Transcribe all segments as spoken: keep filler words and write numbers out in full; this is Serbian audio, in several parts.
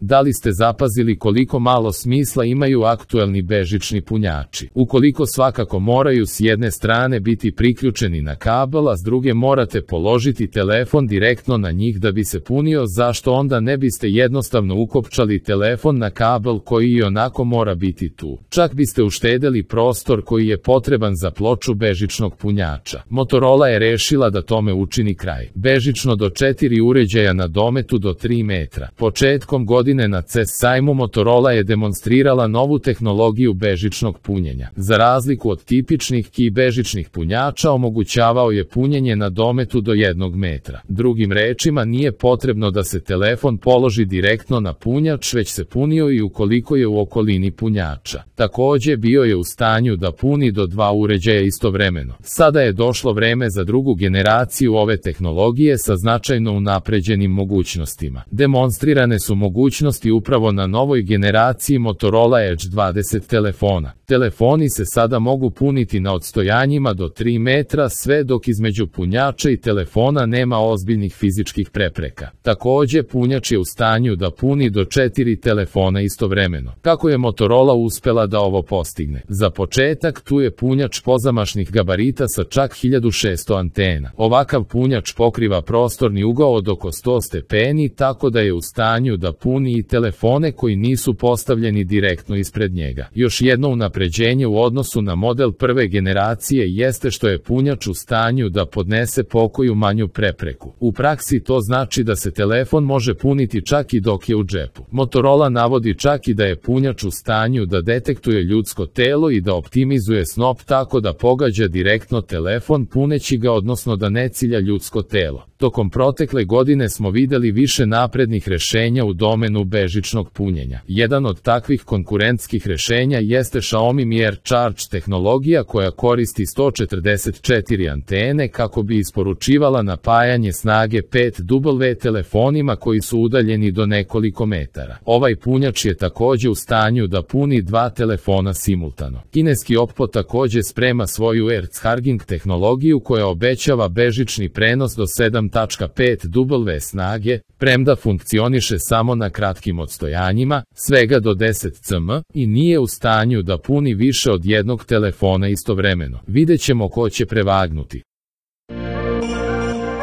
Da li ste zapazili koliko malo smisla imaju aktuelni bežični punjači? Ukoliko svakako moraju s jedne strane biti priključeni na kabel, a s druge morate položiti telefon direktno na njih da bi se punio, zašto onda ne biste jednostavno ukopčali telefon na kabel koji i onako mora biti tu? Čak biste uštedeli prostor koji je potreban za ploču bežičnog punjača. Motorola je rešila da tome učini kraj. Bežično do četiri uređaja na dometu do tri metra. Početkom godine na C E S sajmu Motorola je demonstrirala novu tehnologiju bežičnog punjenja. Za razliku od tipičnih Qi bežičnih punjača, omogućavao je punjenje na dometu do jednog metra. Drugim rečima, nije potrebno da se telefon položi direktno na punjač, već se punio i ukoliko je u okolini punjača. Takođe, bio je u stanju da puni do dva uređaja istovremeno. Sada je došlo vreme za drugu generaciju ove tehnologije sa značajno unapređenim mogućnostima. Demonstrirane su mogućnosti upravo na novoj generaciji Motorola Edge dvadeset telefona. Telefoni se sada mogu puniti na odstojanjima do tri metra, sve dok između punjača i telefona nema ozbiljnih fizičkih prepreka. Takođe, punjač je u stanju da puni do četiri telefona istovremeno. Kako je Motorola uspela da ovo postigne? Za početak, tu je punjač pozamašnih gabarita sa čak hiljadu šesto antena. Ovakav punjač pokriva prostorni ugao od oko sto stepeni, tako da je u stanju da puni i telefone koji nisu postavljeni direktno ispred njega. Još jedno unapređenje u odnosu na model prve generacije jeste što je punjač u stanju da podnese pokoju manju prepreku. U praksi to znači da se telefon može puniti čak i dok je u džepu. Motorola navodi čak i da je punjač u stanju da detektuje ljudsko telo i da optimizuje snop tako da pogađa direktno telefon puneći ga, odnosno da ne cilja ljudsko telo. Tokom protekle godine smo videli više naprednih rešenja u domenu bežičnog punjenja. Jedan od takvih konkurentskih rešenja jeste Xiaomi Mi Air Charge tehnologija koja koristi sto četrdeset četiri antene kako bi isporučivala napajanje snage pet W telefonima koji su udaljeni do nekoliko metara. Ovaj punjač je takođe u stanju da puni dva telefona simultano. Kineski Oppo takođe sprema svoju AirCharging tehnologiju koja obećava bežični prenos do sedam tačka pet W snage, premda funkcioniše samo na kratkim odstojanjima, svega do deset cm, i nije u stanju da puni više od jednog telefona istovremeno. Videćemo ko će prevagnuti.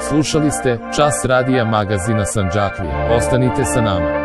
Slušali ste Čas radija magazina Sandžaklija. Ostanite sa nama.